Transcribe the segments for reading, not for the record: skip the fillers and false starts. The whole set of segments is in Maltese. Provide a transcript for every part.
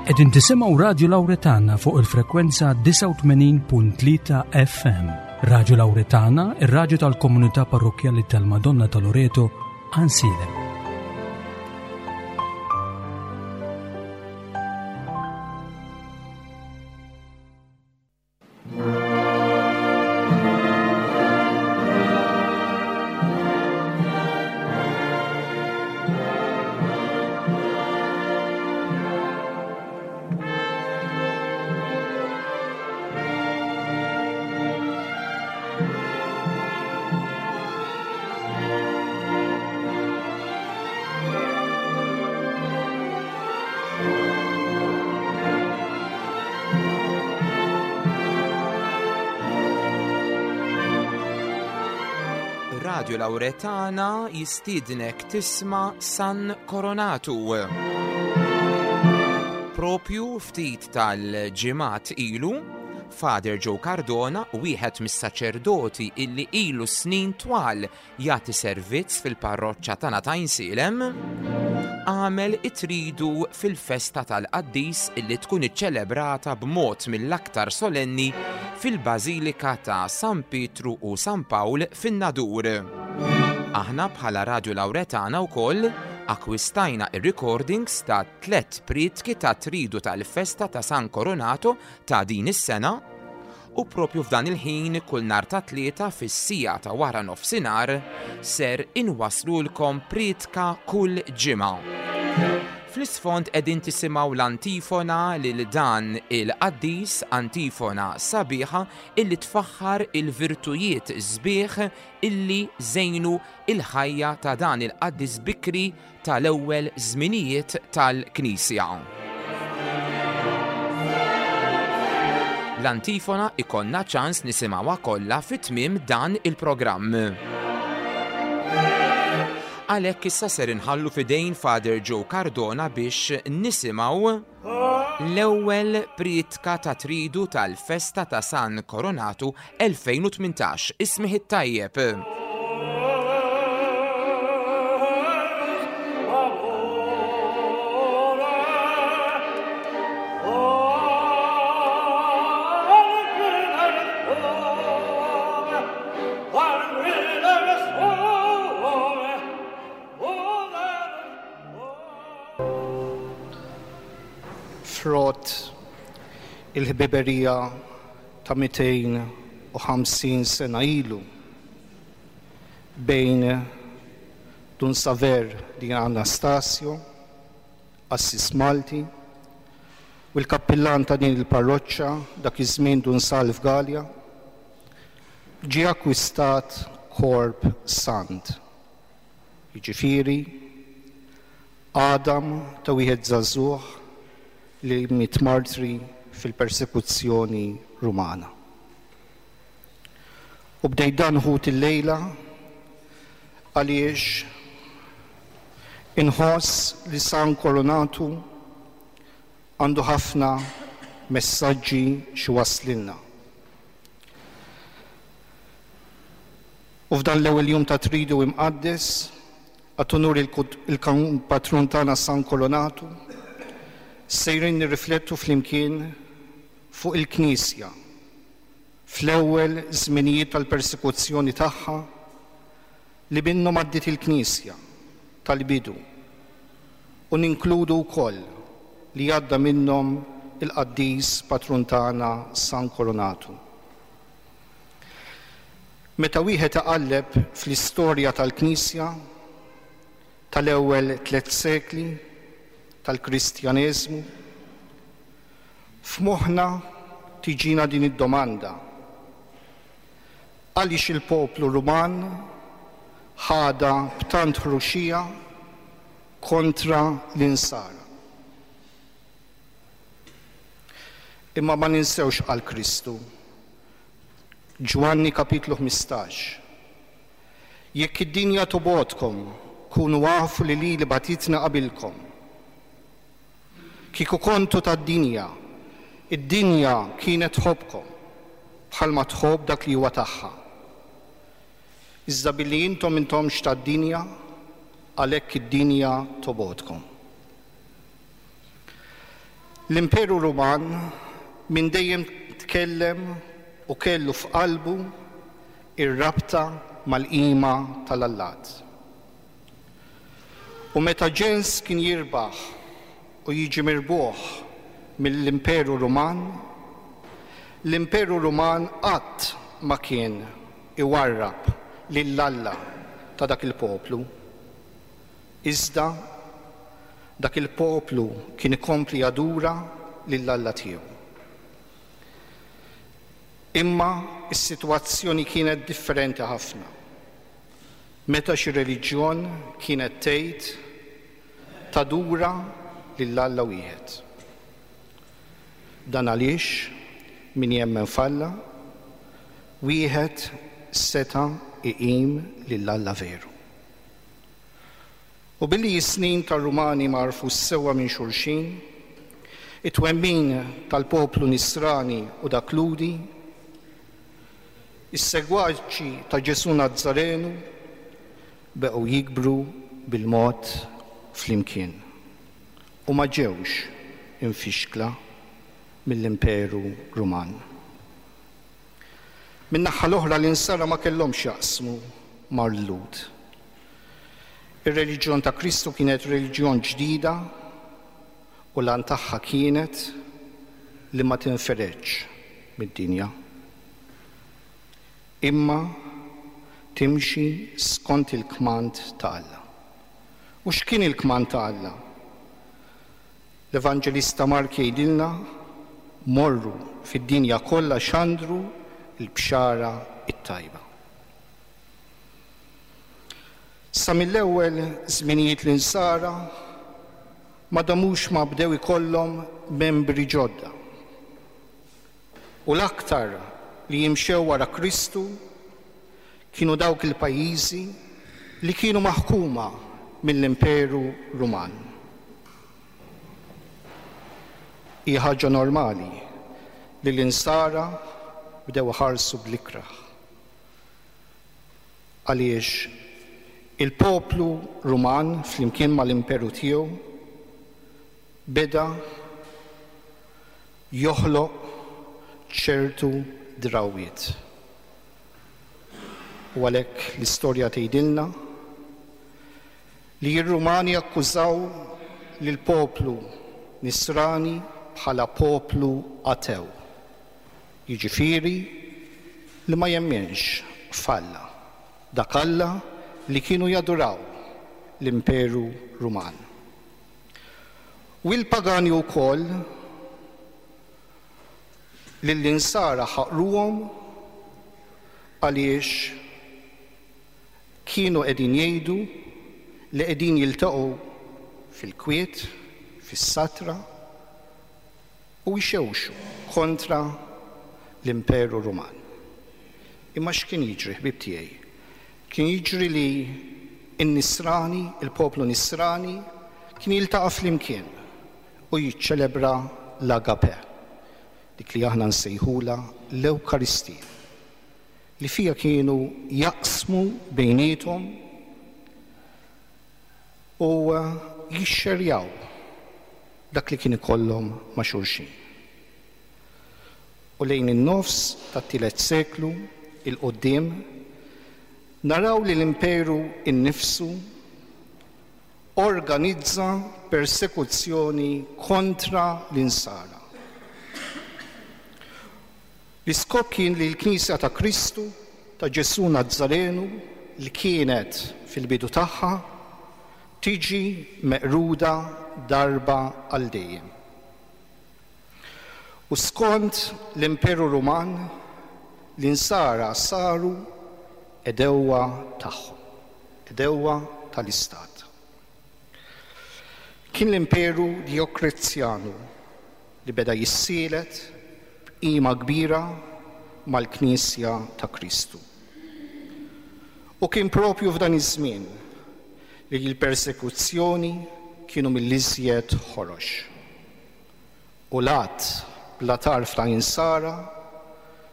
Qegħdin tisimgħu Radju Lawretana fuq il-frekwenza 89.3 FM. Radju Lawretana, ir-radju tal-komunità parrokkjali tal-Madonna ta' Loreto, Ansilem. Radio Lauretana jistiednek tisma' San Coronatu. Propju ftit tal-ġimgħat ilu, Father Joe Cardona, wieħed mis-saċerdoti illi ilu snin twal jagħti servizz fil-parroċċa tagħna ta' Għajnsielem, għamel it-tridu fil-festa tal-qaddis illi tkun iċċelebrata b'mod mill-aktar solenni fil-Bażilika ta' San Pietru u San Pawl fin-Nadur. Aħna bħala Radju Lawretana wkoll akkwistajna ir-recordings ta' tlett prietki ta' tridu tal-festa ta' San Coronato ta' din is-sena U propju f'dan il-ħin kull nhar ta' Tlieta fis-siegħa ta' wara nofsinhar ser inwasslulkom prietka kull ġimgħa. Fl-isfond qegħdin tisimgħu l-antifona lil dan il-qaddis, antifona sabiħa illi tfaħħar il-virtujiet sbieħ illi żejnu il-ħajja ta' dan il-qaddis bikri tal-ewwel żminijiet tal-Knisja. L-antifona ikollna ċans nisimgħuha kollha fi tmiem dan il-programm. Għalhekk issa ser inħallu f'idejn Father Joe Cardona biex nisimgħu l-ewwel prietka ta' tridu tal-festa ta' San Coronatu 2018. Ismih it-tajjeb. Frott il-ħbiberija ta' 250 sena ilu bejn Dun Saver di Anastasio, qassis Malti, u l-kappillan ta' din il-parroċċa dak iż-żmien Dun Salv Galea, ġie akkwistat korp sant, jiġifieri għadam ta' wieħed żagħżugħ li miet martri fil-persekuzzjoni Rumana. U bdejt dan ħut illejla għaliex inħoss li San Coronatu għandu ħafna messaġġi x'iwasslilna. U f'dan l-ewwel jum ta' Tridu Imqaddes, għat unur il-patrun tagħna San Coronatu, sejrin nirriflettu flimkien fuq il-Knisja fl-ewwel żminijiet tal-persekuzzjoni tagħha li minnhom għaddiet il-Knisja tal-bidu u ninkludu wkoll li għadda minnhom il-qaddis patrun tagħna San Coronatu. Meta wieħed iqalleb fl-istorja tal-Knisja tal-ewwel tlett sekli tal-Kristjaneżmu, f'moħħna tiġina din id-domanda, Għaliex il-poplu Ruman ħadha b'tant ħruxija kontra l-Insara? Imma ma ninsewx x'qal Kristu. Ġwanni kapitlu 15. Jekk id-dinja tobgħodkom, kunu afu li lili bagħtitni qabilkom. Kieku kontu tad-dinja, id-dinja kienet tħobbkom, bħalma tħobb dak li huwa tagħha. Iżda billi intom m'intomx tad-dinja, għalhekk id-dinja tobgħodkom. L-Imperu Ruman minn dejjem tkellem u kellu f'qalbu ir-rabta mal-qima tal-allat. U meta ġens kien jirbaħ u jiġi mirbuħ mill-Imperu Ruman, l-Imperu Ruman qatt ma kien iwarrab lil Alla ta' dak il-poplu. Iżda dak il-poplu kien ikompli jadura lil Alla tiegħu. Imma s-sitwazzjoni kienet differenti ħafna meta xi reliġjon kienet tgħid tadura lil Alla wieħed. Dan għaliex min jemmen f'Alla wieħed seta' iqim lil Alla veru. U billi s-snin tar-Rumani ma għarfux sewwa minn xulxin, it-twemmin tal-poplu Nisrani u dak Lhudi, is-segwaċi ta' Ġesù Nazzarenu beqgħu jikbru bil-mod flimkien u ma ġewx imfixkla mill-Imperu Ruman. Min-naħa l-oħra l-Insara ma kellhomx jaqsmu mal-Lhud. Ir-reliġjon ta' Kristu kienet reliġjon ġdida u l-għan tagħha kienet li ma tinferedx mid-dinja, imma timxi skont il-kmand ta' Alla. U x'kien il-kmand ta' Alla? L-Evanġelista Mark jgħidilna, Morru fid-dinja kollha xandru l-bxara t-tajba. Sa mill-ewwel żminijiet l-Insara ma damux ma bdew ikollhom membri ġodda. U l-aktar li jimxew wara Kristu kienu dawk il-pajjiżi li kienu maħkuma mill-Imperu Ruman. Hi ħaġa normali li l-Insara bdew iħarsu bl-ikrah. Għaliex il-poplu Ruman flimkien mal-imperu tiegħu beda joħloq ċertu drawwiet. U għalhekk l-istorja tgħidilna li r-Rumani akkużaw lill-poplu Nisrani bħala poplu atew, jiġifieri li ma jemminx f'Alla, dak Alla li kienu jaduraw l-Imperu Ruman. U l-pagani wkoll lill-Insara ħaqruhom għaliex kienu qegħdin jgħidu li qegħdin jiltaqgħu fil-kwiet, fis-satra u jxewxu kontra l-Imperu Ruman. Imma x'kien jiġri, ħbieb tiegħi? Kien jiġri li n-Nisrani, il-poplu Nisrani, kien jiltaqa' flimkien u jiċċelebra l-agape, dik li aħna nsejħulha l-Ewkaristija, li fiha kienu jaqsmu bejniethom u jixxerjaw dak li kien ikollhom ma' xulxin. U lejn in-nofs tat-tielet seklu 'l quddiem naraw li l-imperu nnifsu organizza persekuzzjoni kontra l-Insara. L-iskop kien li l-Knisja ta' Kristu, ta' Ġesù Nazzarenu, li kienet fil-bidu tagħha, tiġi meqruda darba għal dejjem. U skont l-Imperu Ruman, l-Insara saru għedewwa tagħhom, għedewwa tal-Istat. Kien l-Imperu Djoklezjanu li beda jissielet b'qima kbira mal-Knisja ta' Kristu. U kien propju f'dan iż-żmien li l-persekuzzjoni kienu mill-iżjed ħorox. U l-għadd bla tarf ta' Insara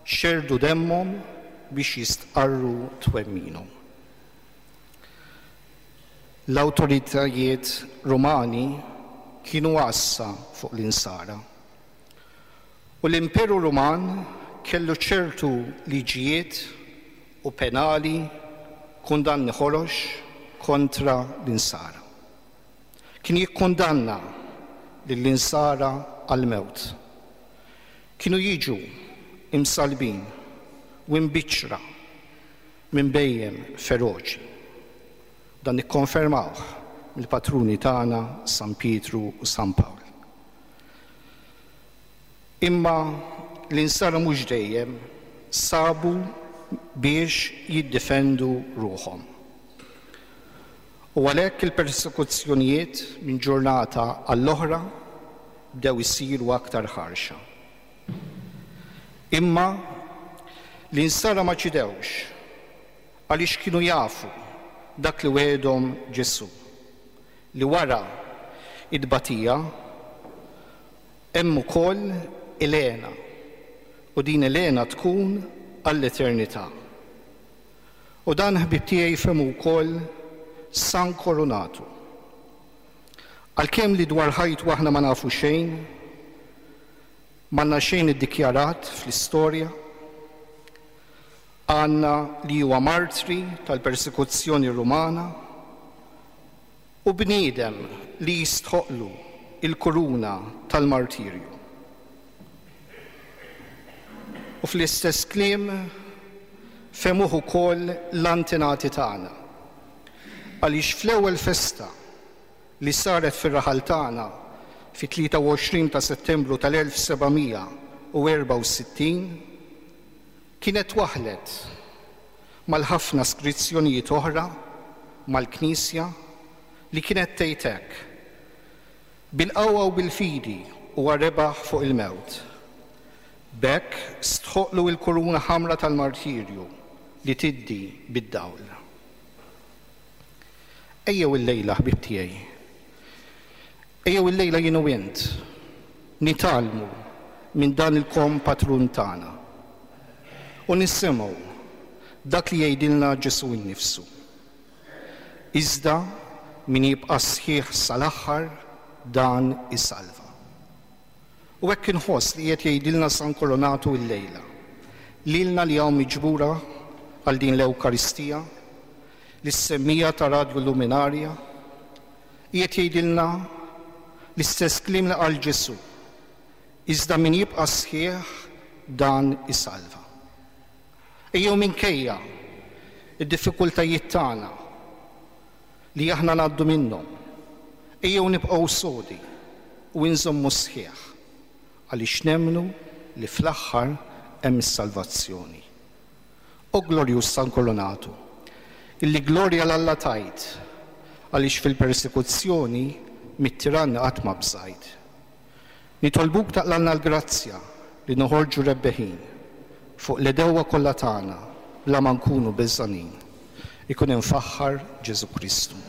xerrdu demmhom biex jistqarru twemminhom. L-awtoritajiet Rumani kienu għassa fuq l-Insara. U l-Imperu Ruman kellu ċertu liġijiet u penali, kundanni ħorox kontra l-Insara. Kien jikkundanna lill-Insara għall-mewt. Kienu jiġu imsallbin u imbiċċra minn bhejjem feroċi. Dan nikkonfermawh mill-patruni tagħna San Pietru u San Pawl. Imma l-Insara mhux dejjem sabu biex jiddefendu ruħhom. U għalhekk il-persekuzzjonijiet minn ġurnata għall-oħra bdew isiru aktar ħarxa. Imma l-Insara ma ċidewx għaliex kienu jafu dak li wegħedhom Ġesù, li wara t-tbatija hemm ukoll il-hena u din il-hena tkun għall-eternità. U dan ħbieb tiegħi fehmu wkoll San Koronatu. Għalkemm li dwar ħajtu aħna ma nafu xejn, m'għandna xejn iddikjarat fl-istorja, għandna li huwa martri tal-persekuzzjoni Rumana u bniedem li jistħoqqlu l-kuruna tal-martirju. U fl-istess kliem fehmuh ukoll l-antenati tagħna. Għaliex fl-ewwel festa li saret fir-raħal tagħna fit-23 ta' Settembru tal-1764 kienet twaħħlet mal-ħafna skrizzjonijiet oħra mal-Knisja li kienet tgħid hekk, Bil-qawwa u bil-fidi huwa rebaħ fuq il-mewt. B'hekk stħoqqlu l-kuruna ħamra tal-martirju li tiddi bid-dawl. Ejjew illejla, ħbieb tiegħi, ejjew illejla jien u int nitgħallmu minn dan il-kompatrun tagħna u nisimgħu dak li jgħidilna Ġesù nnifsu. Iżda min jibqa' sħiħ sal-aħħar, dan isalva. U hekk inħoss li qiegħed jgħidilna San Koronatu illejla, lilna li hawn miġbura għal din l-Ewkaristija, lis-semmiegħa ta' Radju Luminaria, qiegħed jgħidilna l-istess kliem li qal Ġesù, Iżda min jibqa' sħiħ, dan isalva. Ejjew minkejja d-diffikultajiet tagħna li aħna ngħaddu minnhom, ejjew nibqgħu sodi u inżommu sħiħ għaliex nemmnu li fl-aħħar hemm is-salvazzjoni. O glorjuż San Kolonatu, illi glorja 'l Alla tajt għaliex fil-persekuzzjoni mit-tiranni qatt ma bżajt. Nitolbuk taqlalna l-grazzja li noħorġu rebbeħin fuq l-għedewwa kollha tagħna bla ma nkunu beżgħanin. Ikun imfaħħar Ġesù Kristu.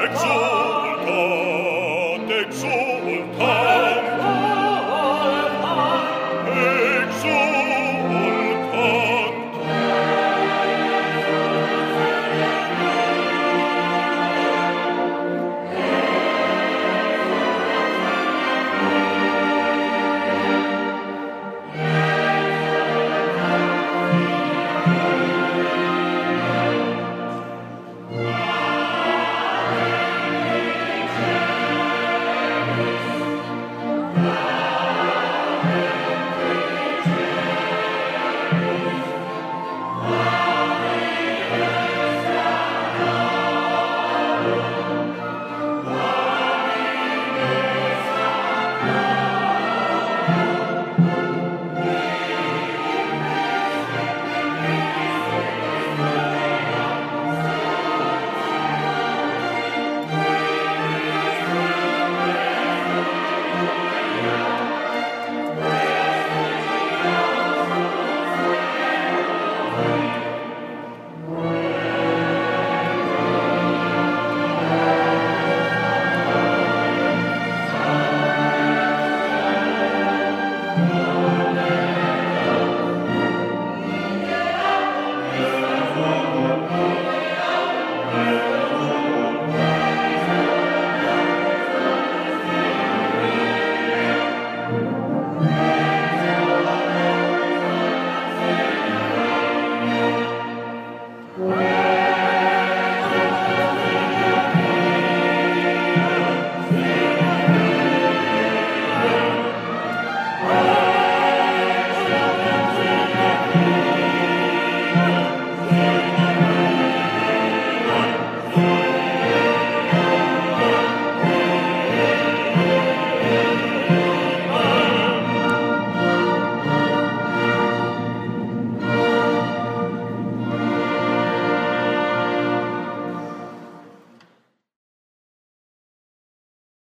Exultant!